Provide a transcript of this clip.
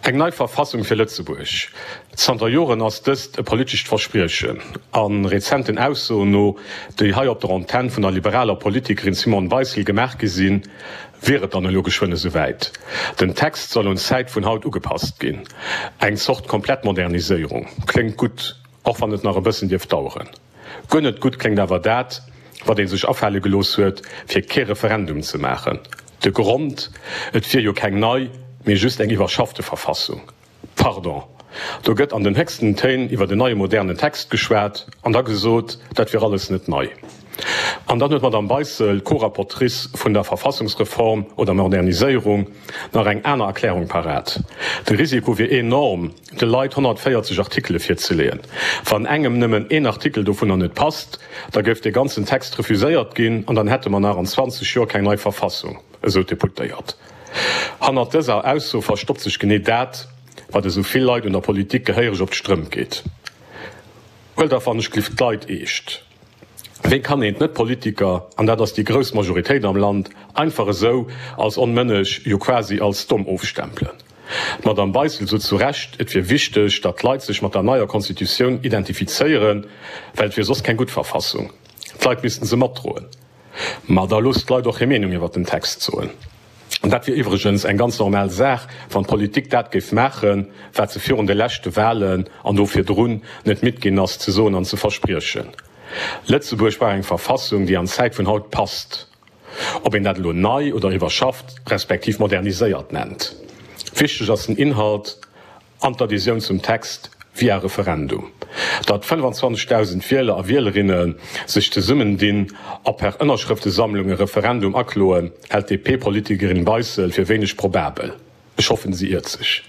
Eng nei Verfassung fir Lëtzebuerg. Zanter Joren ass dëst e politescht Verspriechen. A rezenten Aussoen no, déi hei op der Antenn vun der liberaler Politikerin Simone Beissel gemaach gi sinn, wier et dann elo geschwënn esouwäit. Den Text soll un d'Zäit vun haut ugepasst ginn. Eng Zort Komplettmoderniséierung. Kléngt gutt, och wann et nach e bëssen dierft daueren. Guer net gutt kléngt awer dat, wat ee sech afale gelooss huet, fir kee Referendum ze maachen. De Grond, Et wier jo keng nei, mee just eng iwwerschaffte Verfassung. Pardon, do gëtt an den héchsten Téin iwwer en neie modernen Text geschwat an da gesot, dat wier alles net nei. An dann huet d'Madame Beissel, Co-Rapportrice vun der Verfassungsreform oder Moderniséierung, nach eng aner Erklärung parat, De Risiko wier enorm, de Leit 140 Artikele virzeleeën. Wann engem nëmmen een Artikel dovunner net passt, da géif dee ganzen Text refuséiert ginn an dann hätte mer nach an 20 Joer keng nei Verfassung, esou d'Deputéiert. Hannert dëser Ausso verstoppt sech genee dat, wat esou vill Leit un der Politik gehéiereg op d'Strëmp geet. Huelt dach wann ech glift d'Leit eescht. Wéi kann een d'Net-Politiker, an dat ass déi grouss Majoritéit am Land, einfach esou als onmënneg, jo quasi als domm ofstempelen? D'Madame Beissel sot zu Recht, et wier wichteg, datt d'Leit sech mat der neier Constitutioun identifizéieren, well et wier soss keng gutt Verfassung. D'Leit missten se matdroen. Ma da loosst d'Leit och hir Meenung iwwert den Text soen. Dat wier iwwregens eng ganz normal Saach, wann d'Politik dat géif maachen, wat se virun de leschte Wahlen an do virdrun net midd ginn ass ze soen an ze verspriechen. Lëtzebuerg brauch eng Verfassung, déi an d'Zäit vun haut passt. Ob een dat elo nei oder iwwerschafft respektiv moderniséiert nennt. Wichteg ass den Inhalt. An d'Adhésioun zum Text via Referendum. Datt 25.000 Wieler a Wielerinne sech zesummendinn a per Ënnerschrëftesammlung e Referendum akloen, hält d'DP-Politikerin Beissel fir wéineg probabel. Ech hoffen, si iert sech.